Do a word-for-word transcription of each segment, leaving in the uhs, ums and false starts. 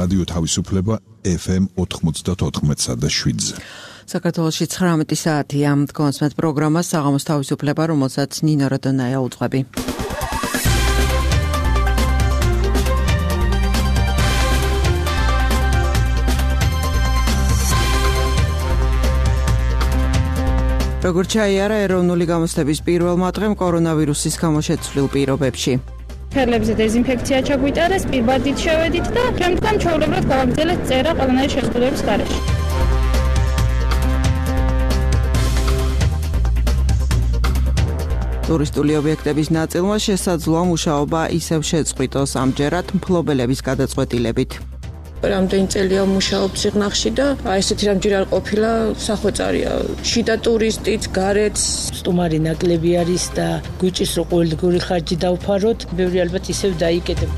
რადიო თავისუფლება ეფ ემ ოთხმოცდაოთხ და შვიდზე. საქართველოში ცხრამეტი საათია დგომასმეთ პროგრამა საღამოს თავისუფლება, რომელსაც ნინო როდონაია უძღვები. როგორც ჩაიარა ეროვნული გამოცდების პირველმა დღემ კორონავირუსის გამო შეცვლილ პირობებში. ფერებზე დეზინფექცია ჩაგვიტარეს, პირბადით შევედით და ჩემთან ჩვეულებრივად გავაგრძელეთ წერა ყველანაირი შეზღუდვების გარეშე. ტურისტული ობიექტების ნაწილმა შესაძლოა მუშაობა ისევ შეწყვიტოს, ამჯერად მფლობელების გადაწყვეტილებით. რამდენი წელია მუშაობ ციხნახში და აი ესეთი რამჯერ არ ყოფილა სახვეწარია. შიდა ტურისტიც, გარეთ სტუმარი ნაკლები არის და გვიჭირს რომ ყოველდღიური ხარჯი დავფაროთ, ბევრი ალბათ ისევ დაიკეტებ.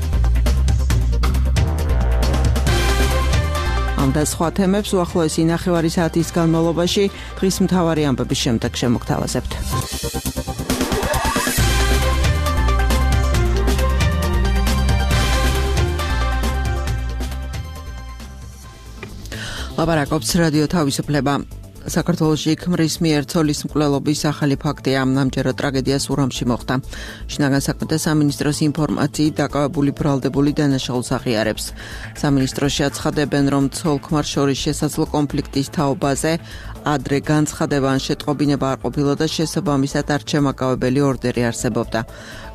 ამ და სხვა თემებს უახლოესი ნახევარი საათის განმავლობაში დღის მთავარი ამბების შემდეგ შემოგთავაზებთ. ლაპარაკობს რადიო თავისუფლება. საქართველოში ქმრის მიერ ცოლის მკვლელობის ახალი ფაქტია, ამჯერად ტრაგედია სურამში მოხდა. შინაგან საქმეთა სამინისტროს ინფორმაციით დაკავებული ბრალდებული დანაშაულს აღიარებს. სამინისტროში აცხადებენ, რომ ცოლ-ქმარს შორის შესაძლო კონფლიქტის თაობაზე ადრე განცხადება ან შეტყობინება არ ყოფილა და შესაბამისად არჩემაკავებელი ორდერი არსებობდა.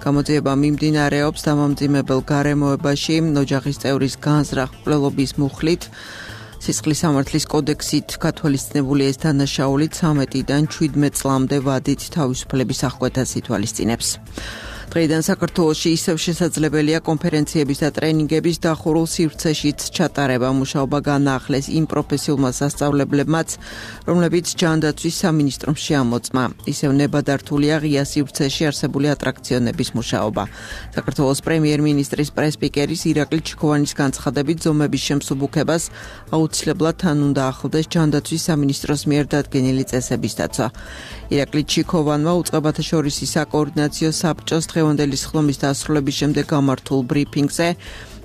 გამოძიება მიმდინარეობს დამამძიმებელ გარემოებაში, ოჯახის წევრის განზრახ მკვლელობის მუხლით. სისხლის სამართლის კოდექსით გათვალისწინებული ეს დანაშაული ცამეტიდან შვიდმეტ წლამდე ვადით თავისუფლების აღკვეთას ითვალისწინებს. დღეიდან საქართველოში ისევ შესაძლებელია კონფერენციების და ტრენინგების დახურულ სივრცეშიც ჩატარება. მუშაობა განაახლეს იმ პროფესიულმა სასწავლებლებმაც, რომლებიც ჯანდაცვის სამინისტრომ შეამოწმა. ისევ ნებადართულია ღია სივრცეში არსებული ატრაქციონების მუშაობა. საქართველოს პრემიერ-მინისტრის პრეს-სპიკერის ირაკლი ჩიქოვანის განცხადებით, ზომების შემსუბუქებას აუცილებლად თან უნდა ახლდეს ჯანდაცვის სამინისტროს მიერ დადგენილი წესების დაცვა. ირაკლი ჩიქოვანმა უწყებათა შორისი საკოორდინაციო საბჭოს დღევანდელი სხდომის დასრულების შემდეგ გამართულ ბრიფინგზე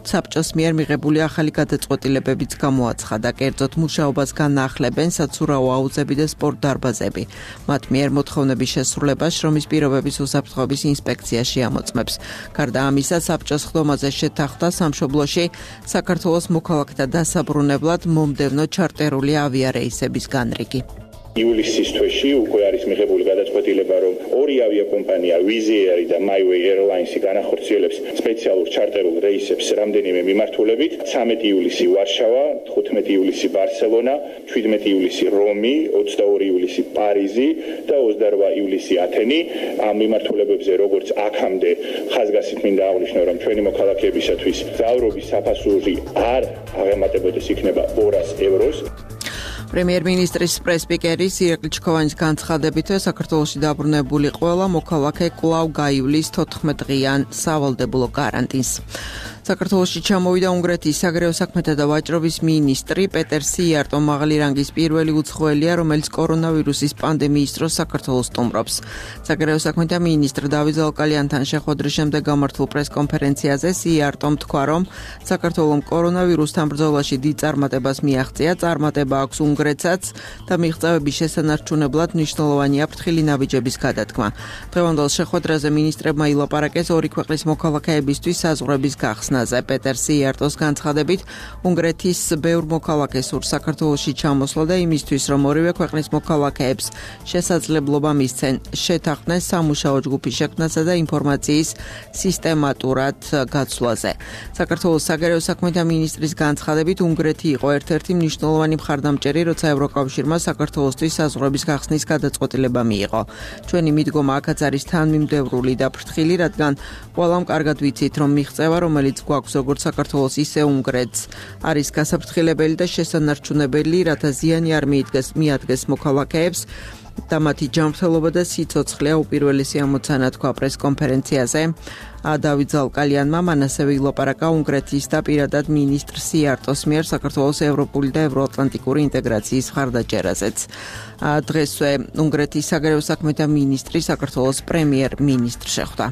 საბჭოს მიერ მიღებული ახალი გადაწყვეტილებებიც გამოაცხადა. კერძოდ მუშაობას განაახლებენ საცურაო აუზები და სპორტ დარბაზები. მათ მიერ მოთხოვნების შესრულებას შრომის პირობების უსაფრთხოების ინსპექცია შეამოწმებს. გარდა ამისა, საბჭოს სხდომაზე შეთანხმდა სამშობლოში საქართველოს მოქალაქეთა დასაბრუნებლად მომდევნო ჩარტერული ავიარეისების განრიგი. ივლისის თვეში უკვე არის მიღებული გადაწყვეტილება, რომ ორი ავიაკომპანია Wizz Air და MyWay Airlines განახორციელებს სპეციალურ ჩარტერულ რეისებს რამდენიმე მიმართულებით. ცამეტი ივლისი ვარშავა, თხუთმეტი ივლისი ბარსელონა, შვიდმეტი ივლისი რომი, ოცდაორი ივლისი პარიზი და ოცდარვა ივლისი ათენი. ამ მიმართულებებზე როგორც აქამდე ხაზგასით მინდა აღვნიშნო, რომ ჩვენი მოქალაქეებისათვის გზავრობის საფასური არ აღემატებოდეს, იქნება ორას ევროს. პრემიერ-მინისტრის პრეს-სპიკერის ირაკლი ჩიქოვანის განცხადებით, საქართველოში დაბრუნებული ყველა მოქალაქე კვლავ გაივლის თოთხმეტ-დღიან სავალდებულო კარანტინს. საქართველოში ჩამოვიდა უნგრეთის საგარეო საქმეთა და ვაჭრობის მინისტრი პეტერ სიარტო, მაღალი რანგის პირველი უცხოელია, რომელიც კორონავირუსის პანდემიის დროს საქართველოს სტუმრობს. საგარეო საქმეთა მინისტრ დავით ზალკალიანთან შეხვედრის შემდეგ გამართულ პრეს-კონფერენციაზე სიარტომ თქვა, რომ საქართველომ კორონავირუსთან ბრძოლაში დიდ წარმატებას მიაღწია, წარმატება აქვს უნგრეთსაც და მიღწევების შესანარჩუნებლად მნიშვნელოვანია ფრთხილი ნაბიჯების გადადგმა. დღევანდელ შეხვედრაზე მინისტრებმა ილაპარაკეს ორი ქვეყნის მოქალაქეებისთვის საზღვრების გახსნა. პეტერ სიარტოს განცხადებით, უნგრეთის ბევრ მოქალაქეს სურს საქართველოში ჩამოსვლა და იმისთვის, რომ ორივე ქვეყნის მოქალაქეებს შესაძლებლობა მისცენ შეთანხმდნენ სამუშაო ჯგუფის შექმნასა და ინფორმაციის სისტემატურად გაცვლაზე. საქართველოს საგარეო საქმეთა მინისტრის განცხადებით, უნგრეთი იყო ერთ-ერთი მნიშვნელოვანი მხარდამჭერი, როცა ევროკავშირმა საქართველოსთვის საზღვრების გახსნის გადაწყვეტილება მიიღო. ჩვენი მიდგომა აქაც არის თანმიმდევრული და ფრთხილი, რადგან ყველამ კარგად ვიცით, რომ მიღწევა, რომელიც გვაქვს როგორც საქართველოს, ისე უნგრეთს, არის გასაფრთხილებელი და შესანარჩუნებელი, რათა ზიანი არ მიადგეს მიადგეს მოქალაქეებს და მათი ჯანმრთელობა და სიცოცხლე უპირველესი ამოცანა, თქვა პრეს-კონფერენციაზე. დავით ზალკალიანმა მან ასევე ილაპარაკა უნგრეთის და პირადად მინისტრ სიარტოს მიერ საქართველოს ევროპული და ევროატლანტიკური ინტეგრაციის მხარდაჭერაზეც. დღესვე უნგრეთის საგარეო საქმეთა მინისტრი საქართველოს პრემიერ-მინისტრ შეხვდა.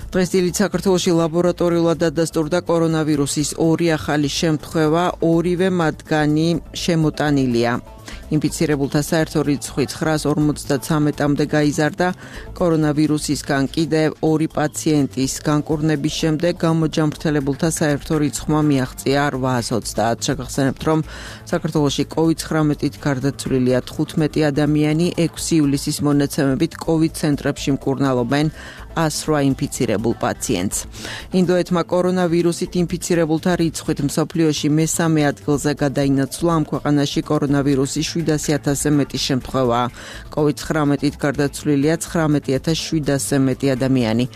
დღესდღეობით საქართველოში ლაბორატორიულად დადასტურდა კორონავირუსის ორი ახალი შემთხვევა, ორივე მათგანი შემოტანილია. ინფიცირებულთა საერთო რიცხვი ცხრას ორმოცდათრამეტამდე გაიზარდა. კორონავირუსისგან კიდევ ორი პაციენტის განკურნების შემდეგ გამოჯამრთელებულთა საერთო რიცხვმა მიაღწია რვაას ოცდაათს. შეგახსენებთ, რომ საქართველოში კოვიდ ცხრამეტით გარდაცვლილია თხუთმეტი ადამიანი, ექვსი ივლისის მონაცემებით კოვიდ ცენტრებში მკურნალობენ ასრვა ინფიცირებულ პაციენტს. ინდოეთმა კორონავირუსით ინფიცირებულთა რიცხვით მსოფლიოში მესამე ადგილზე გადაინაცვლა. ამ ქვეყანაში კორონავირუსის შვიდასი ათასზე მეტი შემთხვევაა. კოვიდ ცხრამეტით გარდაცვლილია ცხრამეტი ათას შვიდასზე მეტი ადამიანი.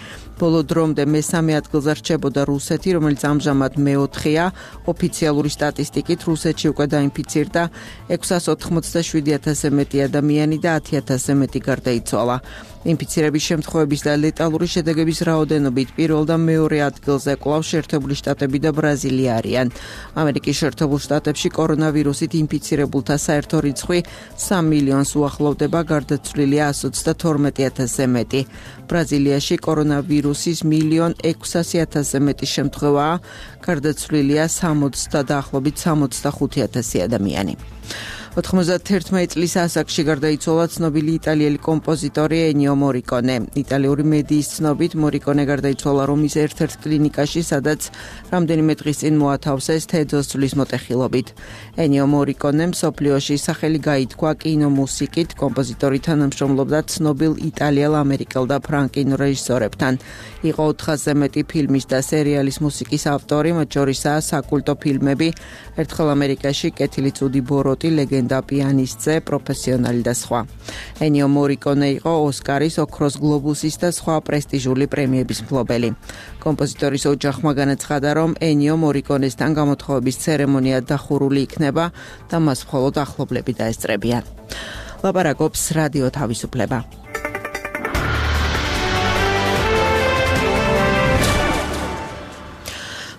ბოლო დრომდე მესამე ადგილზე რჩებოდა რუსეთი, რომელიც ამჟამად მეოთხეა. ოფიციალური სტატისტიკით რუსეთში უკვე დაინფიცირდა ექვსას ოთხმოცდაშვიდი ათასზე მეტი ადამიანი და ათი ათასზე მეტი გარდაიცვალა. ინფიცირების შემთხვევების და ლეტალური შედეგების რაოდენობით პირველ და მეორე ადგილზე კვლავ შეერთებული შტატები და ბრაზილია არიან. ამერიკის შეერთებულ შტატებში კორონავირუსით ინფიცირებულთა საერთო რიცხვი სამ მილიონს უახლოვდება, გარდაცვლილია ასი ოცდათორმეტი ათასზე მეტი. ბრაზილიაში კორონავირუსის მილიონ ექვსასი ათასზე მეტი შემთხვევაა, გარდაცვლილია სამოცდა დაახლოებით სამოცდახუთი ათასი ადამიანი. ოთხმოცდაათერთმეტი წლის ასაკში გარდაიცვალა ცნობილი იტალიელი კომპოზიტორი ენიო მორიკონე. იტალიური მედიის ცნობით მორიკონე გარდაიცვალა რომის ერთ-ერთ კლინიკაში, სადაც რამდენიმე დღის წინ მოათავსეს თედოს ძვლის მოტეხილობით. ენიო მორიკონემ მსოფლიოში სახელი გაითქვა კინომუსიკით. კომპოზიტორი თანამშრომლობდა ცნობილ იტალიელ, ამერიკელ და ფრანგულ რეჟისორებთან. იყო ოთხასზე მეტი ფილმის და სერიალის მუსიკის ავტორი, მათ შორისაა საკულტო ფილმები ერთხელ ამერიკაში, კეთილი ცუდი ბოროტი, ლეგენდა პიანისტზე, პროფესიონალი და სხვა. ენიო მორიკონე იყო ოსკარის, ოქროს გლობუსის და სხვა პრესტიჟული პრემიების მფლობელი. კომპოზიტორის ოჯახმა განაცხადა, რომ ენიო მორიკონესთან გამოთხოვების ცერემონია დახურული იქნება და მას მხოლოდ ახლობლები დაესწრებიან. ლაპარაკობს რადიო თავისუფლება.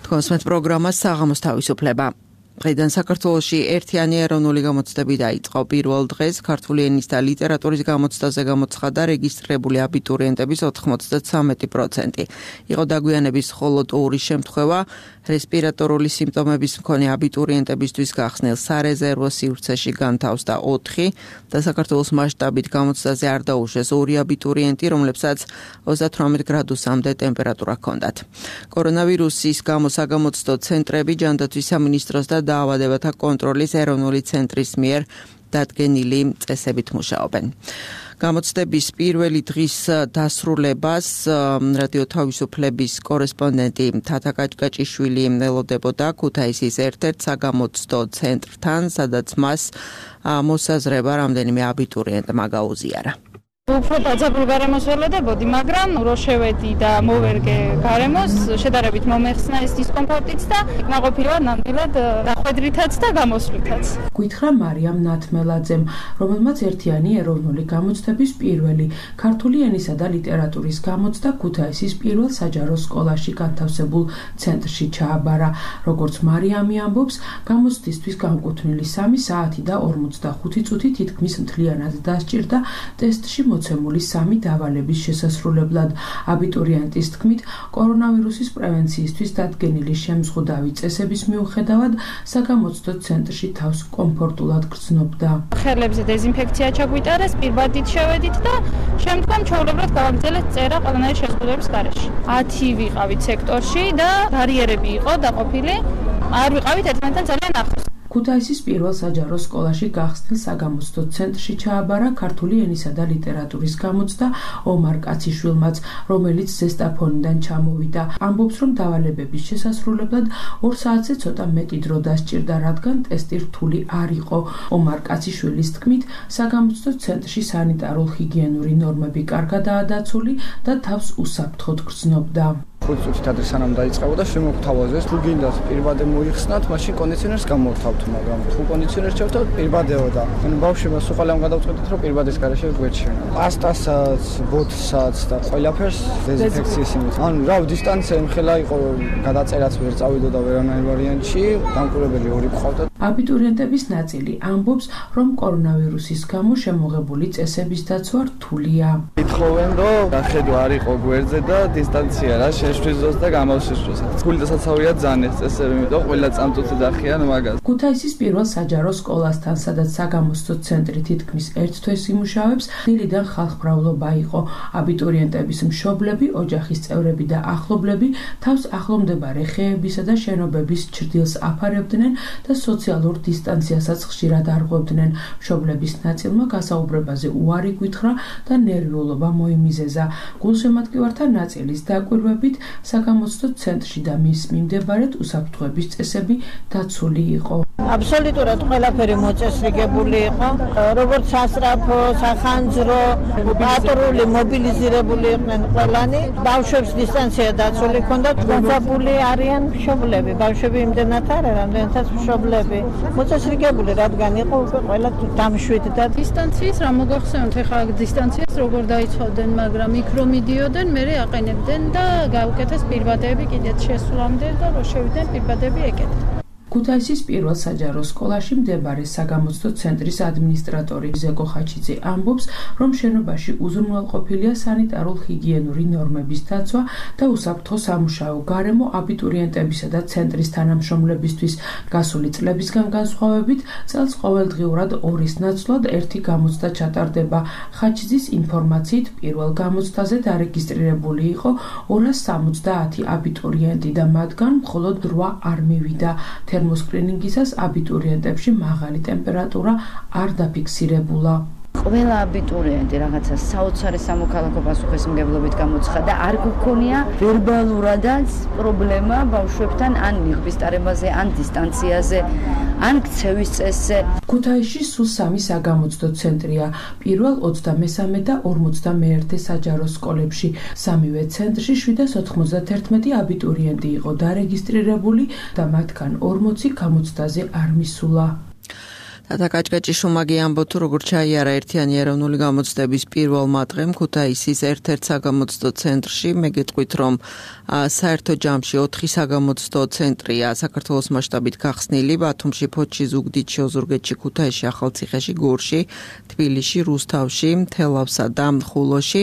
თქვენს პროგრამა საღამოს თავისუფლება. დღეიდან საქართველოში ერთიანი ეროვნული გამოცდები დაიწყო. პირველ დღეს ქართული ენის და ლიტერატურის გამოცდაზე გამოცხადა რეგისტრირებული აბიტურიენტების ოთხმოცდათრამეტი პროცენტი. იყო დაგვიანების მხოლოდ ორი შემთხვევა. რესპირატორული სიმპტომების მქონე აბიტურიენტებისთვის გახსნილ სარეზერვო სივრცეში განთავსდა ოთხი და საქართველოს მასშტაბით გამოცდაზე არ დაუშვეს ორი აბიტურიენტი, რომლებსაც ოცდათვრამეტ გრადუსამდე ტემპერატურა ჰქონდათ. კორონავირუსის გამო საგამოცდო ცენტრები ჯანდაცვის სამინისტროს და დაავადებათა კონტროლის ეროვნული ცენტრის მიერ დადგენილი წესებით მუშაობენ. გამოცდების პირველი დღის დასრულებას რადიო თავისუფლების კორესპონდენტი თათა კაჭკაჭიშვილი ელოდებოდა ქუთაისის ერთ-ერთ საგამოცდო ცენტრთან, სადაც მას მოსაზრება რამდენიმე აბიტურიენტმა გაუზიარა. უფრო დაძაბულ გარემოს ველოდებოდი, მაგრამ რო შევედი და მოვერგე გარემოს, შედარებით მომეხსნა ეს დისკომფორტიც და ნაყოფილად ნამდვილად დახვედრითაც და გამოსვლითაც. გითხრა მარიამ ნათმელაძემ, რომელმაც ერთიანი ეროვნული გამოცდების პირველი ქართული ენისა და ლიტერატურის გამოცდა ქუთაისის პირველ საჯარო სკოლაში განთავსებულ ცენტრში ჩააბარა. როგორც მარიამი ამბობს, გამოცდისთვის განკუთვნილი სამი საათი და ორმოცდახუთი წუთი თითქმის მთლიანად დასჭირდა ტესტში მოცემული სამი დავალების შესასრულებლად. აბიტურიენტის თქმით, კორონავირუსის პრევენციისთვის დადგენილი შემზღუდავი წესების მიუხედავად საგამოცდო ცენტრში თავს კომფორტულად გრძნობდა. ხელებზე დეზინფექცია ჩაგვიტარეს, პირბადით შევედით და შემდგომ ჩვეულებრივად გავაგრძელეთ წერა ყველანაირი შეზღუდვების გარეშე. ათი ვიყავით სექტორში და ბარიერები იყო დაყოფილი, არ ვიყავით ერთმანეთთან ძალიან ახლოს. ქუთაისის პირველ საჯარო სკოლაში გახსნილ საგამოცდო ცენტრში ჩააბარა ქართული ენისა და ლიტერატურის გამოცდა ომარ კაციშვილმაც, რომელიც ზესტაფონიდან ჩამოვიდა. ამბობს, რომ დავალებების შესასრულებლად ორ საათზე ცოტა მეტი დრო დასჭირდა, რადგან ტესტი რთული არ იყო. ომარ კაციშვილის თქმით, საგამოცდო ცენტრში სანიტარულ-ჰიგიენური ნორმები კარგადაა დაცული და თავს უსაფრთხოდ გრძნობდა. ხუთი წუთით ადრე სანამ დაიწყებოდა შემოგთავაზეს, თუ გინდათ პირბადე მოიხსნათ, მაშინ კონდიციონერს გამოვთავთ, მაგრამ თუ კონდიციონერს ჩავთავთ, პირბადეოდა. ანუ ბავშვებმა სულ ყველამ გადავწყვეტეთ, რომ პირბადეს გარეშე გვერდჩინა. პასტასაც, ბოთსაც და ყველაფერს დეზინფექციის იმით. ანუ რა დისტანცია იმხელა იყო, გადაწერაც ვერ წავიდოდა ვერანაირ ვარიანტში, დამკვირვებელი ორი ყავდა. აბიტურიენტების ნაწილი ამბობს, რომ კორონავირუსის გამო შემოღებული წესების დაცვა რთულია. ითხოვენ, რომ გახედვა არ იყო გვერდზე და დისტანცია რა შეშვის დროს და გამოსვლის დროს. გულდასაცავია ძალიან ეს წესები, იმიტომ ყველა წამწუთი დახიან მაგას. ქუთაისის პირველ საჯარო სკოლასთან, სადაც საგამოცდო ცენტრი თითქმის ერთ თვეს იმუშავებს, დილიდან ხალხმრავლობა იყო. აბიტურიენტების მშობლები, ოჯახის წევრები და ახლობლები თავს ახლომდებარე ხეებისა და შენობების ჩრდილს აფარებდნენ და სოციალურ დისტანციასაც ხშირად არღვევდნენ. მშობლების ნაწილმა გასაუბრებაზე უარი გვითხრა და ნერვიულობა მოიმიზეზა. გულშემატკივართა ნაწილის დაკვირვებით საგამოცდო ცენტრში და მის მიმდებარედ უსაფრთხოების წესები დაცული იყო. აბსოლუტურად ყველაფერი მოწესრიგებული იყო, როგორც სასწრაფო, სახანძრო, პატრული მობილიზირებული იყვნენ ყველანი. ბავშვებს დისტანცია დაცული ჰქონდათ, განსაბული არიან მშობლები. ბავშვები იმდენად არა, რამდენადაც მშობლები. მოწესრიგებული, რადგან იყო უკვე ყველა დამშვიდ და დისტანციის რა მოგახსენოთ, ეხლა დისტანციას როგორ დაიცვავდნენ, მაგრამ იქ რომ მიდიოდნენ, მერე აყენებდნენ და გაუკეთეს პირბადეები კიდეც შესვლამდე და რო შევიდნენ პირბადეები ეკეთეს. ქუთაისის პირველ საჯარო სკოლაში მდებარე საგამოცდო ცენტრის ადმინისტრატორი ზეკო ხაჩიძე ამბობს, რომ შენობაში უზრუნველყოფილია სანიტარულ-ჰიგიენური ნორმების დაცვა და უსაფრთხო სამუშაო გარემო აბიტურიენტებისა და ცენტრის თანამშრომლებისთვის. გასული წლებისგან განსხვავებით, წელს ყოველდღიურად ორის ნაცვლად ერთი გამოცდა ჩატარდება. ხაჩიძის ინფორმაციით, პირველ გამოცდაზე დარეგისტრირებული იყო ორას სამოცდაათი აბიტურიენტი და მათგან მხოლოდ რვა არ მივიდა. თერმოსკრინინგისას აბიტურიენტებში მაღალი ტემპერატურა არ დაფიქსირებულა. ყველა აბიტურიენტი რაღაცა საოცარი სამოქალაქო პასუხისმგებლობით გამოცხადა, არ გქონია ვერბალურადაც პრობლემა ბავშვებთან ან ნიღბის ტარებაზე, ან დისტანციაზე, ან ქცევის წესზე. ქუთაისში სულ სამი საგამოცდო ცენტრია, პირველ ოცდამესამე და ორმოცდამეერთე საჯარო სკოლებში. სამივე ცენტრში შვიდას ოთხმოცდათერთმეტი აბიტურიენტი იყო დარეგისტრირებული და მათგან ორმოცი გამოცდაზე არ მისულა. Tata კაჭკაჭიშუმაგი ამბობ თუ როგორ ჩაიარა ერთიანი ეროვნული გამოცდების პირველმა დღემ ქუთაისის ერთ-ერთ საგამოცდო ცენტრში. მე გეტყვით, რომ საერთო ჯამში ოთხი საგამოცდო ცენტრია საქართველოს მასშტაბით გახსნილი: ბათუმში, ფოთში, ზუგდიდში, ოზურგეთში, ქუთაისში, ახალციხეში, გორში, თბილისში, რუსთავში, თელავსა და ხულოში.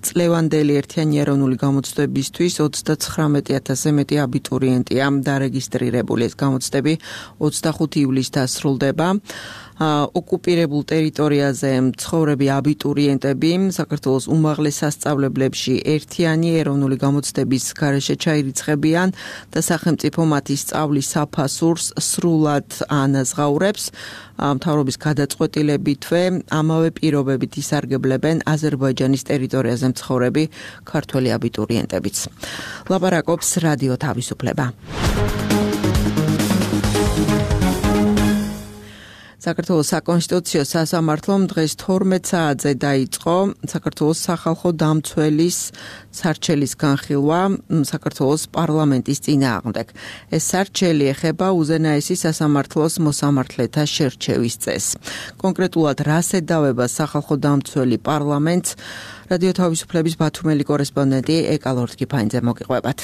წლევანდელი ერთიანი ეროვნული გამოცდებისთვის ოცდაცხრამეტი ათასზე მეტი აბიტურიენტია დარეგისტრირებული. ეს გამოცდები ოცდახუთი ივლისს დასრულდება. ოკუპირებულ ტერიტორიაზე მცხოვრები აბიტურიენტები საქართველოს უმაღლეს სასწავლებლებში ერთიანი ეროვნული გამოცდების გარეშე ჩაირიცხებიან და სახელმწიფო მათი სწავლის საფასურს სრულად ანაზღაურებს. მთავრობის გადაწყვეტილებითვე ამავე პირობებით ისარგებლებენ აზერბაიჯანის ტერიტორიაზე მცხოვრები ქართველი აბიტურიენტებიც. ლაპარაკობს რადიო თავისუფლება. საქართველოს საკონსტიტუციო სასამართლომ დღეს თორმეტ საათზე დაიწყო საქართველოს სახალხო დამცველის სარჩელის განხილვა საქართველოს პარლამენტის წინააღმდეგ. ეს სარჩელი ეხება უზენაესი სასამართლოს მოსამართლეთა შერჩევის წესს. კონკრეტულად რას ედავება სახალხო დამცველი პარლამენტს, რადიო თავისუფლების ბათუმელი კორესპონდენტი ეკალორთკიფაინძე მოგიყვებათ.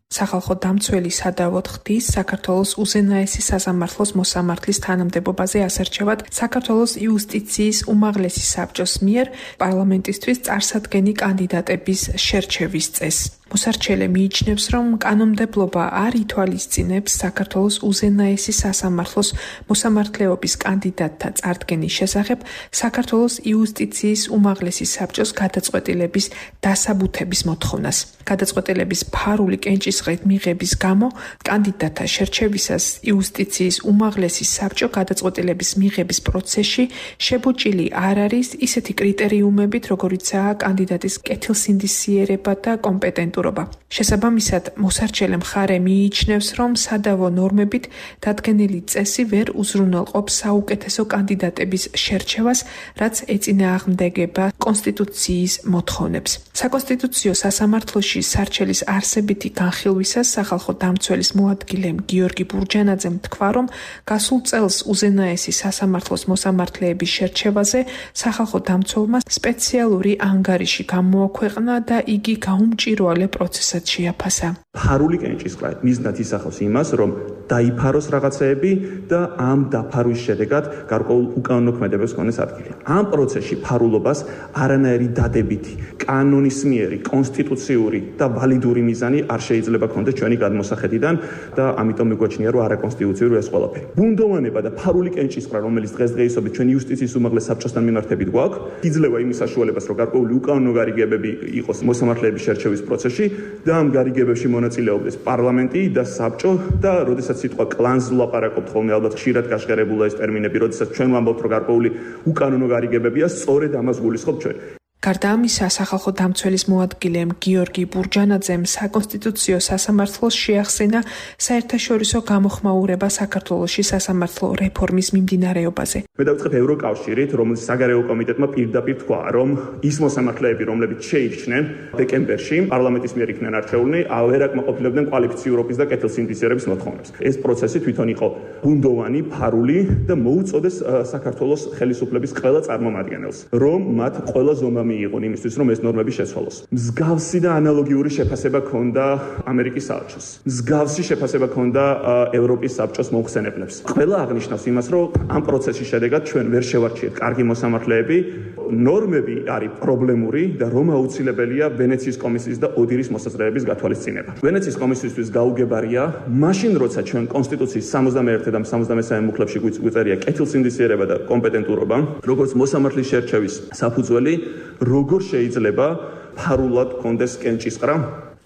სახალხო დამცველი სადავოდ ხდის საქართველოს უზენაესი სასამართლოს მოსამართლის თანამდებობაზე ასერჩევად საქართველოს იუსტიციის უმაღლესი საბჭოს მიერ პარლამენტისთვის წარსადგენი კანდიდატების შერჩევის წესს. მოსარჩელე მიიჩნევს, რომ კანონმდებლობა არ ითვალისწინებს საქართველოს უზენაესი სასამართლოს მოსამართლეობის კანდიდატთა წარდგენის შესახებ საქართველოს იუსტიციის უმაღლესი საბჭოს გადაწყვეტილების დასაბუთების მოთხოვნას. გადაწყვეტილების ფარული კენჭისყრით მიღების გამო კანდიდატთა შერჩევისას იუსტიციის უმაღლესი საბჭო გადაწყვეტილების მიღების პროცესში შებუჭილი არ არის ისეთი კრიტერიუმებით, როგორიცაა კანდიდატის კეთილსინდისიერება და კომპეტენტურობა. შესაბამისად, მოსარჩელე მხარე მიიჩნევს, რომ სადავო ნორმებით დადგენილი წესი ვერ უზრუნველყოფს საუკეთესო კანდიდატების შერჩევას, რაც ეწინააღმდეგება კონსტიტუციის მოთხოვნებს. საკონსტიტუციო სასამართლოში სარჩელის არსებითი განხილვისას სახალხო დამცველის მოადგილემ გიორგი ბურჯანაძემ თქვა, რომ გასულ წელს უზენაესი სასამართლოს მოსამართლეების შერჩევაზე სახალხო დამცველმა სპეციალური ანგარიში გამოაქვეყნა და იგი გაუმჭირვალე პროცესად შეაფასა. ფარული კენჭისყრა მიზნად ისახავს იმას, რომ დაიფაროს რაღაცეები და ამ დაფარვის შედეგად გარკვეულ უკანონოქმედებას ქონდეს ადგილი. ამ პროცესში ფარულობას არანაირი დადებითი, კანონისმიერი, კონსტიტუციური და ვალიდური მიზანი არ შეიძლება ქონდეს ჩვენი გადმოსახედიდან და ამიტომ მიგვაჩნია, რომ არაკონსტიტუციური ეს ყველაფერი. ბუნდოვანება და ფარული კენჭისყრა, რომელიც დღესდღეობით ჩვენი იუსტიციის უმაღლეს საბჭოსთან მიმართებით გვაქვს, იძლევა იმის საშუალებას, რომ გარკვეული უკანონო გარიგებები იყოს მოსამართლეების შერჩევის პროცესში და ამ გარიგებებში მონაწილეობდეს პარლამენტი და საბჭო და როდესაც სიტყვა კლანს ვლაპარაკობთ ხოლმე, ალბათ ხშირად გაშღერებულა ეს ტერმინები, როდესაც ჩვენ ვამბობთ, რომ გარკვეული უკანონო გარიგებებია, სწორედ ამას გულისხმობთ ჩვენ. გარდა ამისა, სახალხო დამცველის მოადგილემ გიორგი ბურჯანაძემ საკონსტიტუციო სასამართლოს შეახსენა საერთაშორისო გამოხმაურება საქართველოში სასამართლო რეფორმის მიმდინარეობაზე. მე დავიწყებ ევროკავშირით, რომელიც საგარეო კომიტეტმა პირდაპირ თქვა, რომ ის მოსამართლეები, რომლებიც შეირჩნენ დეკემბერში, პარლამენტის მიერ იქნენ არჩეულნი, ვერ აკმაყოფილებდნენ კვალიფიციურობის და კეთილსინდისიერების მოთხოვნებს. ეს პროცესი თვითონ იყო ბუნდოვანი, ფარული და მოუწოდეს საქართველოს ხელისუფლების ყველა წარმომადგენელს, რომ მათ ყველა ზომა მიიღონ იმისთვის, რომ ეს ნორმები შეცვალოს. მსგავსი და ანალოგიური შეფასება ჰქონდა ამერიკის საელჩოს. მსგავსი შეფასება ჰქონდა ევროპის საბჭოს მომხსენებლებს. ყველა აღნიშნავს იმას, რომ ამ პროცესის შედეგად ჩვენ ვერ შევარჩიეთ კარგი მოსამართლეები, ნორმები არის პრობლემური და რომ აუცილებელია ვენეციის კომისიის და ოდირის მოსაზრებების გათვალისწინება. ვენეციის კომისიისთვის გაუგებარია, მაშინ როცა ჩვენ კონსტიტუციის სამოცდამეერთე და სამოცდამესამე მუხლებში გვიწერია კეთილსინდისიერება და კომპეტენტურობა, როგორც მოსამართლის შერჩევის საფუძველი, როგორ შეიძლება ფარულად კონდეს კენჭისყრა?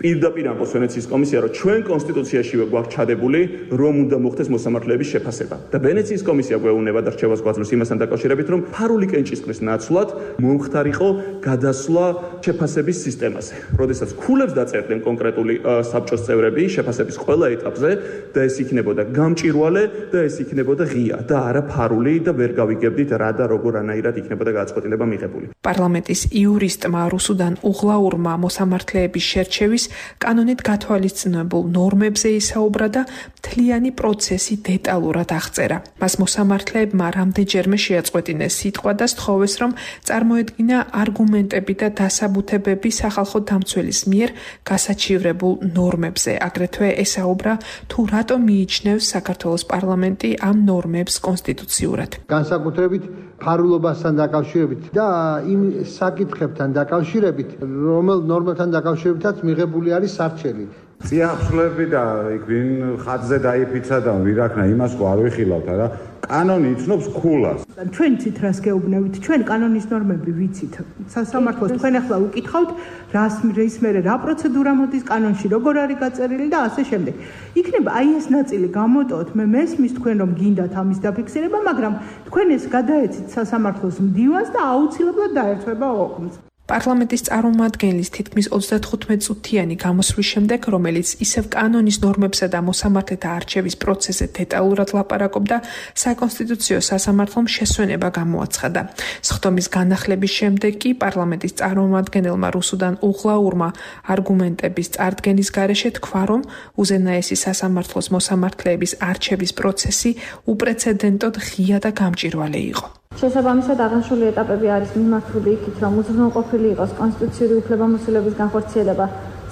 პირდაპირ ამბობს ვენეციის კომისია, რომ ჩვენ კონსტიტუციაშივე გვაქვს ჩადებული, რომ უნდა მოხდეს მოსამართლეების შეფასება. და ვენეციის კომისია გვეუბნება და რჩევას გვაძლევს იმასთან დაკავშირებით, რომ ფარული კენჭისყრის ნაცვლად მომხდარიყო გადასვლა შეფასების სისტემაზე. როდესაც ქულებს დაწერდნენ კონკრეტული საბჭოს წევრები შეფასების ყველა ეტაპზე და ეს იქნებოდა გამჭირვალე და ეს იქნებოდა ღია და არა ფარული და ვერ გავიგებდით რა და როგორ ანაირად იქნებოდა გადაწყვეტილება მიღებული. პარლამენტის იურისტმა რუსუდან უღლაურმა მოსამართლეების შერჩევის კანონით გათვალისწინებულ ნორმებზე ისაუბრა და მთლიანი პროცესი დეტალურად აღწერა. მას მოსამართლეებმა რამდენჯერმე შეაწყვეტინეს სიტყვა და სთხოვეს, რომ წარმოედგინა არგუმენტები და დასაბუთებები სახალხო დამცველის მიერ გასაჩივრებულ ნორმებზე. აგრეთვე ესაუბრა, თუ რატომ მიიჩნევს საქართველოს პარლამენტი ამ ნორმებს კონსტიტუციურად. განსაკუთრებით ფარულობასთან დაკავშირებით და იმ საკითხებთან დაკავშირებით, რომელ ნორმებთან დაკავშირებითაც მიღებული არის სარჩელი. წიაღწლები და იქ ვინ ხატზე დაიფიცა და ვირაქნა იმას ყო არ ვიხილავთ არა კანონი იცნობს ქულას. ჩვენ ცით რას გეუბნებით, ჩვენ კანონის ნორმები ვიცით. სასამართლოს თქვენ ახლა უკითხავთ, რას რის მერე რა პროცედურა მოდის კანონში, როგორ არის გაწერილი და ასე შემდეგ. იქნება აი ეს ნაწილი გამოტოვოთ, მე მესმის თქვენ რომ გინდათ ამის დაფიქსირება, მაგრამ თქვენ ეს გადაეცით სასამართლოს მდივანს და აუცილებლად დაერთვება ოქმს. პარლამენტის წარმომადგენლის თითქმის ოცდათხუთმეტ წუთიანი გამოსვლის შემდეგ, რომელიც ისევ კანონის ნორმებსა და მოსამართლეთა არჩევის პროცესზე დეტალურად ლაპარაკობდა, საკონსტიტუციო სასამართლომ შესვენება გამოაცხადა. სხდომის განახლების შემდეგ კი პარლამენტის წარმომადგენელმა რუსუდან უღლაურმა არგუმენტების წარდგენის გარეშე თქვა, რომ უზენაესი სასამართლოს მოსამართლეების არჩევის პროცესი უპრეცედენტოდ ღია და გამჭირვალე იყო. შესაბამისად აღნიშნული ეტაპები არის მიმართული იქით, რომ უზრუნველყოფილი იყოს კონსტიტუციური უფლებამოსილების განხორციელება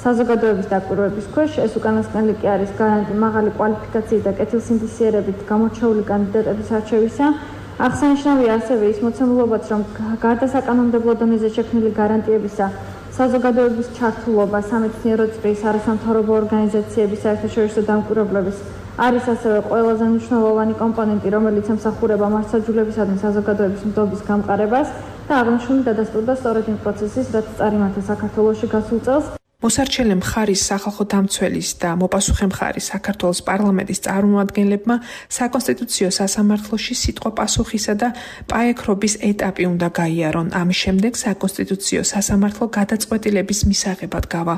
საზოგადოების დაკვირვების ქვეშ. ეს უკანასკნელი კი არის გარანტი მაღალი კვალიფიკაციით და კეთილსინდისიერებით გამორჩეული კანდიდატების არჩევისა. აღსანიშნავია ასევე ის მოცემულობაც, რომ გარდა საკანონმდებლო დონეზე შექმნილი გარანტიებისა, საზოგადოების ჩართულობა სამეცნიერო წრის არასამთავრობო ორგანიზაციების საერთაშორისო დამკვირვებლების არის ასევე ყველაზე მნიშვნელოვანი კომპონენტი, რომელიც ემსახურება მართლმსაჯულებისადმი საზოგადოების მდობის გამყარებას და აღნიშნული დადასტურდა სწორედ იმ პროცესის, რაც წარიმართა საქართველოში გასულ წელს. მოსარჩელე მხარის სახალხო დამცველის და მოპასუხე მხარის საქართველოს პარლამენტის წარმომადგენლებმა საკონსტიტუციო სასამართლოში სიტყვა პასუხისა და პაექრობის ეტაპი უნდა გაიარონ. ამის შემდეგ საკონსტიტუციო სასამართლო გადაწყვეტილების მისაღებად გავა.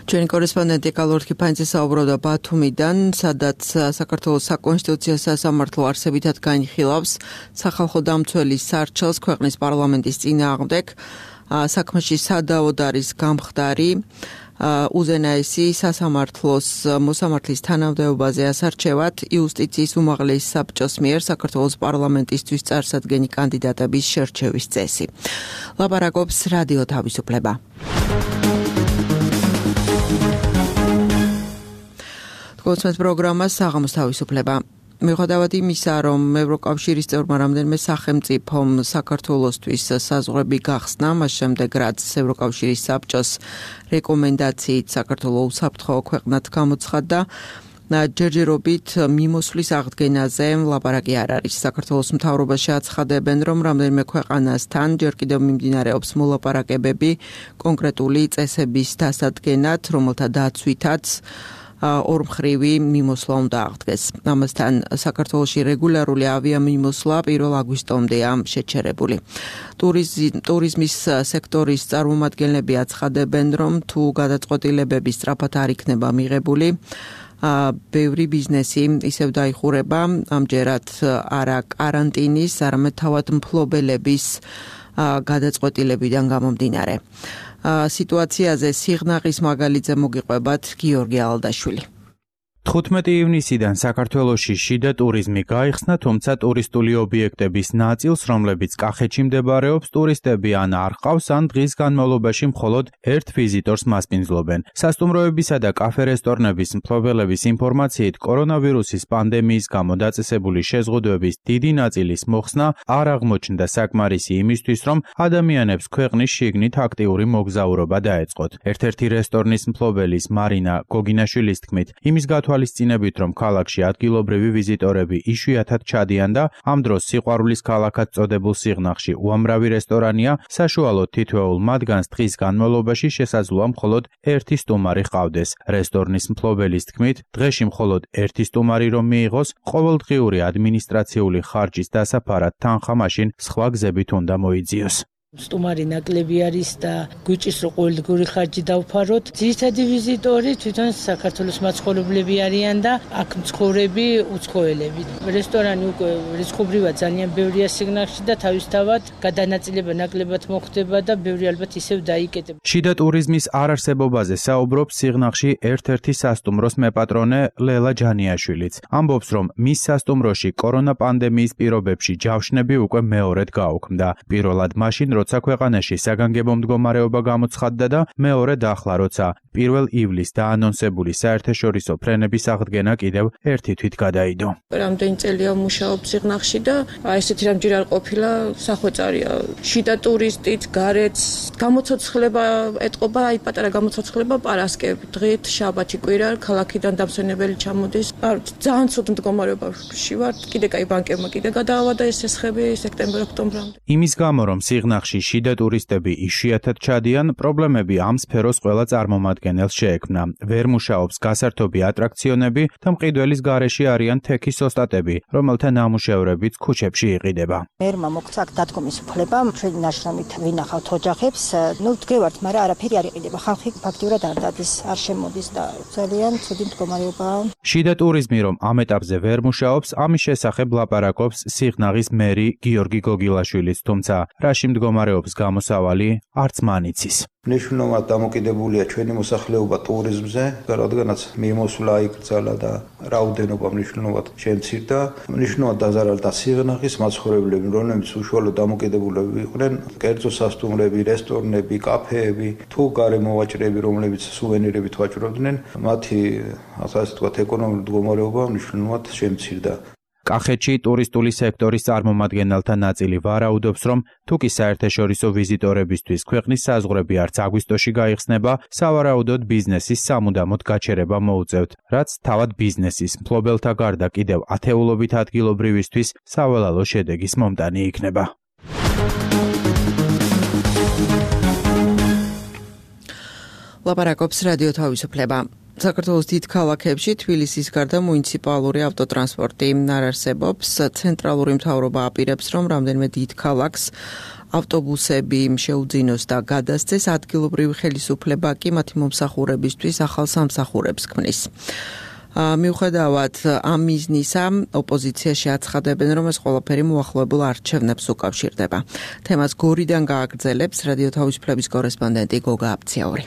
ჩვენი კორესპონდენტი კალორ კიფანიძე საუბრობდა ბათუმიდან, სადაც საქართველოს საკონსტიტუციო სასამართლო არსებითად განიხილავს სახალხო დამცველის სარჩელს ქვეყნის პარლამენტის წინააღმდეგ. საქმეში სადავოდ არის გამხდარი უზენაესი სასამართლოს მოსამართლის თანამდებობაზე ასარჩევად იუსტიციის უმაღლესი საბჭოს მიერ საქართველოს პარლამენტისთვის წარსადგენი კანდიდატების შერჩევის წესი. ლაპარაკობს რადიო თავისუფლება. გულწრფელს პროგრამას საღამოს თავისუფლება. მიუხედავად იმისა, რომ ევროკავშირის წევრმა რამდენიმე სახელმწიფომ საქართველოსთვის საზღვრები გახსნა, მას შემდეგ რაც ევროკავშირის საბჭოს რეკომენდაციით საქართველოს უსაფრთხო ქვეყნად გამოცხადდა, ჯერჯერობით მიმოსვლის აღდგენაზე ლაპარაკი არ არის. საქართველოს მთავრობაში აცხადებენ, რომ რამდენიმე ქვეყანასთან ჯერ კიდევ მიმდინარეობს მოლაპარაკებები კონკრეტული წესების დასადგენად, რომელთა დაცვითაც ორმხრივი მიმოსვლა უნდა აღდგეს. ამასთან საქართველოში რეგულარული ავიამიმოსვლა პირველ აგვისტომდეა შეჩერებული. ტურიზმის სექტორის წარმომადგენლები აცხადებენ, რომ თუ გადაწყვეტილებები სწრაფად არ იქნება მიღებული, ბევრი ბიზნესი ისევ დაიხურება, ამჯერად არა კარანტინის, არამედ თავად მფლობელების გადაწყვეტილებიდან გამომდინარე. სიტუაციაზე სიღნაღის მაგალითზე მოგიყვებათ გიორგი ალდაშვილი. თხუთმეტი ივნისიდან საქართველოში შიდა ტურიზმი გაიხსნა, თუმცა ტურისტული ობიექტების ნაწილს, რომლებიც კახეთში მდებარეობს, ტურისტები ან არ ყავს, ან დღის განმავლობაში მხოლოდ ერთ ვიზიტორს მასპინძლობენ. სასტუმროებისა და კაფე-რესტორნების მფლობელების ინფორმაციით, კორონავირუსის პანდემიის გამო დაწესებული შეზღუდვების დიდი ნაწილის მოხსნა არ აღმოჩნდა საკმარისი იმისთვის, რომ ადამიანებს ქვეყნის შიგნით აქტიური მოგზაურობა დაეწყოთ. ერთ-ერთი რესტორნის მფლობელის მარინა გოგინაშვილის თქმით, იმის გათვალისწინებით წინებით, რომ ქალაქში ადგილობრივი ვიზიტორები იშვიათად ჩადიან და ამ დროს სიყვარულის ქალაქად წოდებულ სიღნაღში უამრავი რესტორანია, საშუალოდ თითოეულ მათგანს დღის განმავლობაში შესაძლოა მხოლოდ ერთი სტუმარი ჰყავდეს. რესტორნის მფლობელის თქმით, დღეში მხოლოდ ერთი სტუმარი რომ მიიღოს, ყოველდღიური ადმინისტრაციული ხარჯის დასაფარად თანხა მაშინ სხვა გზებით უნდა მოიძიოს. სტუმარი ნაკლები არის და გვიჭირს რომ ყოველდღიური ხარჯი დავფაროთ. ძირითადი ვიზიტორი თვითონ საქართველოს მაცხოვრებლები არიან და აქ მცხოვრები უცხოელები. რესტორანი უკვე რიცხობრივად ძალიან ბევრია სიგნალში და თავისთავად გადანაწილება ნაკლებად მოხდება და ბევრი ალბათ ისევ დაიკეტება. შიდა ტურიზმის არარსებობაზე საუბრობს სიღნაღში ერთ-ერთი სასტუმროს მეპატრონე ლელა ჯანიაშვილიც. ამბობს, რომ მის სასტუმროში კორონა პანდემიის პირობებში ჯავშნები უკვე მეორედ გაუქმდა. პირველად მაშინ როცა ქვეყანაში საგანგებო მდგომარეობა გამოცხადდა და მეორედ ახლა როცა პირველ ივლისს დაანონსებული საერთაშორისო ფრენების აღდგენა კიდევ ერთი თვით გადაიდო. რამდენი წელია ვმუშაობ სიღნაღში და აი ესეთი რამჯერ არ ყოფილა სახვეწარია. შიდა ტურისტით, გარეთ გამოცოცხლება ეტყობა, აი პატარა გამოცოცხლება პარასკევ, დღით, შაბათი, კვირა, ქალაქიდან დამსვენებელი ჩამოდის. არ ძალიან ცუდ მდგომარეობაში ვარ. კიდე კაი ბანკებმა კიდე გადაავადა ეს ესხები სექტემბერ-ოქტომბრამდე. იმის გამო რომ სიღნაღში შიდა ტურისტები იშვიათად ჩადიან, პრობლემები ამ სფეროს ყველა წარმომადგენელს შეექმნა. ვერ მუშაობს გასართობი ატრაქციონები და მყიდველის გარეშე არიან თექის ოსტატები, რომელთა ნამუშევრებიც ქუჩებში იყიდება. მერმა მოგცა დადგომის უფლება, ჩვენი ნაშრომით ვინახავთ ოჯახებს, ნუ დგევართ, მაგრამ არაფერი არ იყიდება. ხალხი ფაქტიურად არ დადის, არ შემოდის და ძალიან ცუდი მდგომარეობაა. შიდა ტურიზმი რომ ამ ეტაპზე ვერ მუშაობს, ამის შესახებ ლაპარაკობს სიღნაღის მერი გიორგი გოგილაშვილიც, თუმცა რაში მდგომარეობს გამოსავალი არც მან იცის. მნიშვნელოვნად დამოკიდებულია ჩვენი მოსახლეობა ტურიზმზე, რადგანაც მიმოსვლა იკრძალა და რაოდენობა მნიშვნელოვნად შემცირდა. მნიშვნელოვნად დაზარალდა სიღნაღის მაცხოვრებლები, რომლებიც უშუალოდ დამოკიდებულები იყვნენ კერძო სასტუმრები, რესტორნები, კაფეები, თუ გარემოვაჭრეები, რომლებიც სუვენირებით ვაჭრობდნენ, მათი ასე ვთქვათ ეკონომიკური მდგომარეობა მნიშვნელოვნად შემცირდა. კახეთში ტურისტული სექტორის წარმომადგენელთა ნაწილი ვარაუდობს, რომ თუკი საერთაშორისო ვიზიტორებისთვის ქვეყნის საზღვრები არც აგვისტოში გაიხსნება, სავარაუდოდ ბიზნესის სამუდამოდ გაჩერება მოუწევთ, რაც თავად ბიზნესის მფლობელთა გარდა კიდევ ათეულობით ადგილობრივისთვის სავალალო შედეგის მომტანი იქნება. ლაპარაკობს რადიო თავისუფლება. საქართველოს დიდ ქალაქებში თბილისის გარდა მუნიციპალური ავტოტრანსპორტი არ არსებობს. ცენტრალური მთავრობა აპირებს, რომ რამდენიმე დიდ ქალაქს ავტობუსები შეუძინოს და გადასცეს, ადგილობრივი ხელისუფლება კი მათი მომსახურებისთვის ახალ სამსახურებს ქმნის. მიუხედავად ამ მიზნისა, ოპოზიციაში აცხადებენ, რომ ეს ყველაფერი მოახლოებულ არჩევნებს უკავშირდება. თემას გორიდან გააგრძელებს რადიო თავისუფლების კორესპონდენტი გოგა აბციაური.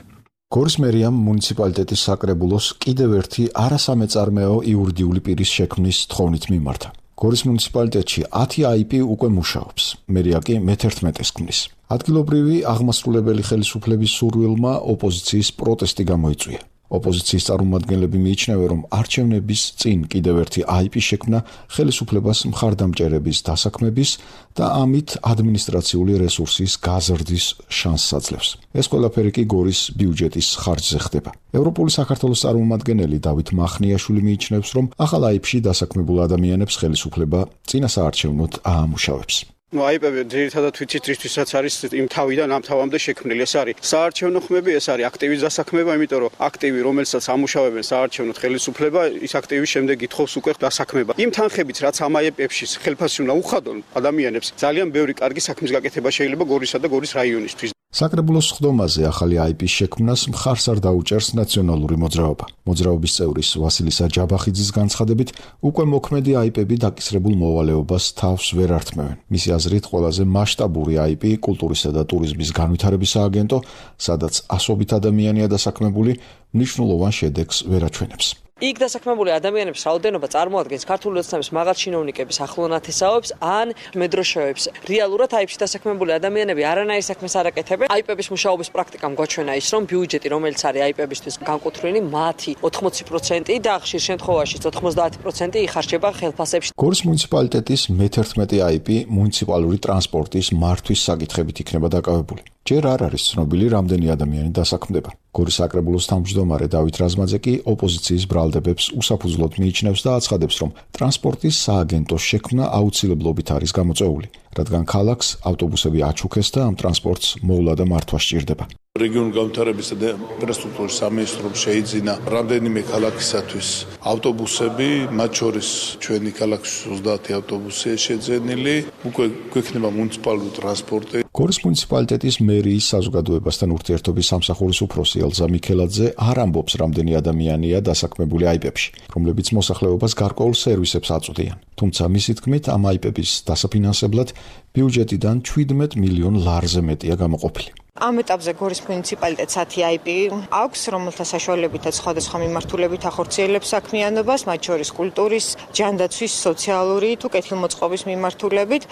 გორის მერიამ მუნიციპალიტეტის საკრებულოს კიდევ ერთი არასამეწარმეო იურიდიული პირის შექმნის თხოვნით მიმართა. გორის მუნიციპალიტეტში ათი აიპი უკვე მუშაობს. მერია კი მეთერთმეტეს ქმნის. ადგილობრივი აღმასრულებელი ხელისუფლების სურვილმა ოპოზიციის პროტესტი გამოიწვია. ოპოზიციის წარმომადგენლები მიიჩნევენ, რომ არჩევნების წინ კიდევ ერთი აი პი შექმნა ხელისუფლებას მხარდამჭერების დასაქმების და ამით ადმინისტრაციული რესურსის გაზრდის შანსს აძლევს. ეს ყველაფერი კი გორის ბიუჯეტის ხარჯზე ხდება. ევროპული საქართველოს წარმომადგენელი დავით მახნიაშვილი მიიჩნევს, რომ ახალ აი პი-ში დასაქმებულ ადამიანებს ხელისუფლება წინასაარჩევნოდ აამუშავებს. ну აიპები ძირითადად ვიცით რისთვისაც არის იმ თავიდან ამ თავამდე შექმნილი. ეს არის საარჩევნო ხმები, ეს არის აქტივის დასაქმება, იმიტომ რომ აქტივი, რომელსაც ამუშავებენ საარჩევნოდ ხელისუფლება, ის აქტივის შემდეგ ითხოვს უკვე დასაქმება. იმ თანხებით, რაც ამ აიპებში ხელფასი უნდა უხადონ ადამიანებს, ძალიან ბევრი კარგი საქმის გაკეთება შეიძლება გორისა და გორის რაიონისთვის. საკრებულოს ხდომაზე ახალი აი პი-ის შექმნას მხარს არ დაუჭერს ნაციონალური მოძრაობა. მოძრაობის წევრის ვასილი საჯაბახიძის განცხადებით, უკვე მოქმედი აი პი-ები დაკისრებულ მოვალეობას თავს ვერ ართმევენ. მისი აზრით, ყველაზე მასშტაბური აი პი კულტურისა და ტურიზმის განვითარების სააგენტო, სადაც ასობით ადამიანია დასაქმებული, მნიშვნელოვან შედეგს ვერ აჩვენებს. იქ დასაქმებული ადამიანების რაოდენობა წარმოადგენს ქართული ოცნების მაღალ ჩინოვნიკების ახლონათესაობს ან მედროშეებს. რეალურად აი პი-ში დასაქმებული ადამიანები არანაირ საქმეს არ აკეთებენ. აი პი-ების მუშაობის პრაქტიკამ გვაჩვენა ის, რომ ბიუჯეტი, რომელიც არის აი პი-ებისთვის განკუთვნილი, მათი ოთხმოცი პროცენტი და ხშირ შემთხვევაში ოცდაათი პროცენტი იხარჯება ხელფასებში. გორის მუნიციპალიტეტის მეთერთმეტე აი პი მუნიციპალური ტრანსპორტის მართვის საკითხებით იქნება დაკავებული. ჯერ არ არის ცნობილი, რამდენი ადამიანი დასაქმდება. გორის საკრებულოს თავმჯდომარე დავით რაზმაძე კი ოპოზიციის ბრალდებებს უსაფუძვლოდ მიიჩნევს და აცხადებს, რომ ტრანსპორტის სააგენტოს შექმნა აუცილებლობით არის გამოწვეული, რადგან ქალაქს ავტობუსები აჩუქეს და ამ ტრანსპორტს მოვლა და მართვა სჭირდება. რეგიონული განვითარებისა და ინფრასტრუქტურის სამინისტრომ შეიძინა რამდენიმე ქალაქისათვის ავტობუსები, მათ შორის ჩვენი ქალაქის ოცდაათი ავტობუსია შეძენილი, უკვე გვექნება მუნიციპალური ტრანსპორტი. გორის მუნიციპალიტეტის მერიის საზოგადოებასთან ურთიერთობის სამსახურის უფროსი ელზა მიქელაძე არ ამბობს, რამდენი ადამიანია დასაქმებული აი პი-ებში, რომლებიც მოსახლეობას გარკვეულ სერვისებს აწვდიან. თუმცა მისი თქმით, ამ აი პი-ების დასაფინანსებლად ბიუჯეტიდან შვიდმეტ მილიონ ლარზე მეტია გამოყოფილი. ამ ეტაპზე გორის მუნიციპალიტეტს ათი აი პი აქვს, რომელთა საშუალებითაც სხვადასხვა მიმართულებით ახორციელებს საქმიანობას, მათ შორის კულტურის, ჯანდაცვის, სოციალური თუ კეთილმოწყობის მიმართულებით.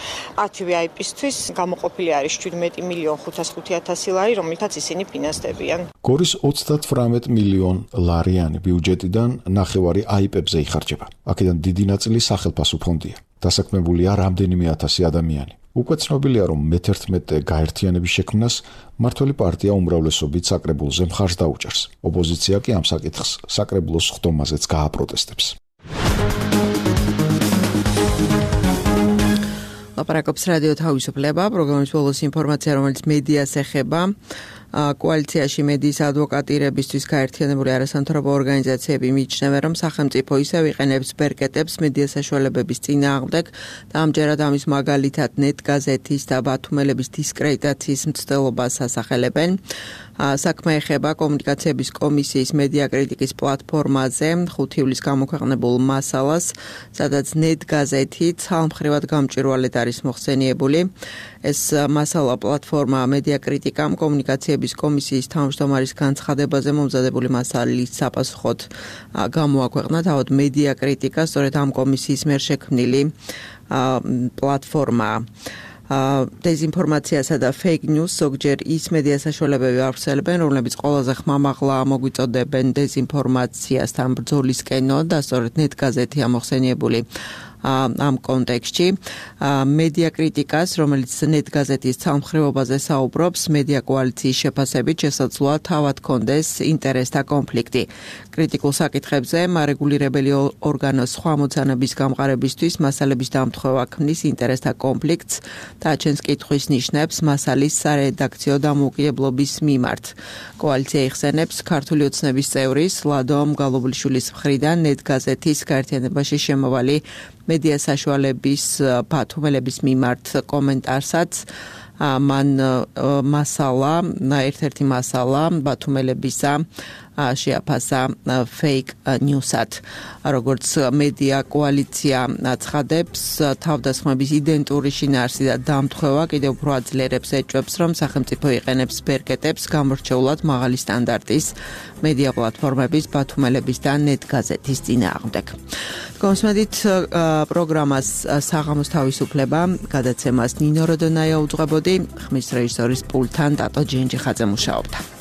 ათივე აი პი-ისთვის გამოყოფილი არის შვიდმეტ მილიონ ხუთას ხუთი ათასი ლარი, რომელთაც ისინი ფინანსდებიან. გორის ოცდათვრამეტ მილიონ ლარიანი ბიუჯეტიდან ნახევარი აი პი-ებზე იხარჯება. აქედან დიდი ნაწილი სახელფასო ფონდია. დასაქმებულია რამდენიმე ათასი ადამიანი. უკვე ცნობილია, რომ მეთერთმეტე გაერთიანების შექმნას მმართველი პარტია უმრავლესობით საკრებულოზე მხარს დაუჭერს. ოპოზიცია კი ამ საკითხს საკრებულოს ხდომაზეც გააპროტესტებს. ლაპარაკობს რადიო თავისუფლება, პროგრამის ბოლოს ინფორმაცია, რომელიც მედიას ეხება. კოალიციაში მედიის ადვოკატირებისთვის გაერთიანებული არასამთავრობო ორგანიზაციები მიიჩნევენ, რომ სახელმწიფო ისევ იყენებს ბერკეტებს მედია საშუალებების წინააღმდეგ და ამჯერად ამის მაგალითად ნეტ გაზეთის და ბათუმელების დისკრედიტაციის მცდელობას ასახელებენ. საქმე ეხება კომუნიკაციების კომისიის მედია კრიტიკის პლატფორმაზე ხუთი ივლისს გამოქვეყნებულ მასალას, სადაც ნეტ გაზეთი ცალმხრივად გამჭვირვალედ არის მოხსენიებული. ეს მასალა პლატფორმა მედია კრიტიკამ კომუნიკაციების კომისიის თავმჯდომარის განცხადებაზე მომზადებული მასალის საპასუხოდ გამოაქვეყნა. თავად მედია კრიტიკა სწორედ ამ კომისიის მიერ შექმნილი პლატფორმაა. დეზინფორმაციასა და fake news ზოგჯერ ის მედია საშუალებები ავრცელებენ, რომლებიც ყველაზე ხმამაღლა მოგვიწოდებენ დეზინფორმაციასთან ბრძოლისკენო და სწორედ ნეტ გაზეთი ამოხსენიებული ამ კონტექსტში. მედია კრიტიკას, რომელიც ნეტ გაზეთის ცალმხრივობაზე საუბრობს, მედია კოალიციის შეფასებით შესაძლოა თავად კონდეს ინტერესთა კონფლიქტი. კრიტიკულ საკითხებზე მარეგულირებელი ორგანოს სხვა მოცანების გამყარებისთვის მასალების დამთხევა ქმნის ინტერესთა კონფლიქტს და აჩენს კითხვის ნიშნებს მასალის სარედაქციო დამოუკიდებლობის მიმართ. კოალიცია იხსენებს ქართული ოცნების წევრის ლადო მგალობლიშვილის მხრიდან ნეტ გაზეთის გაერთიანებაში შემავალი მედია საშუალების ბათუმელების მიმართ კომენტარსაც. მან მასალა, ერთ-ერთი მასალა ბათუმელებისა შეაფასა fake news-ად. როგორც მედია კოალიცია ცხადებს, თავდასხმების იდენტური შინაარსი და დამთხევა კიდევ უფრო აძლიერებს ეჭვებს, რომ სახელმწიფო იყენებს ბერკეტებს გამორჩეულად მაღალი სტანდარტის მედია პლატფორმების ბათუმელების და ნეტ გაზეთის წინააღმდეგ. გონსმედით პროგრამას საღამოს თავისუფლება გადაცემას ნინო როდონაია უძღვებოდი, ხმის რეჟისორის პულტთან დატო ჯენჯიხაძე მუშაობდა.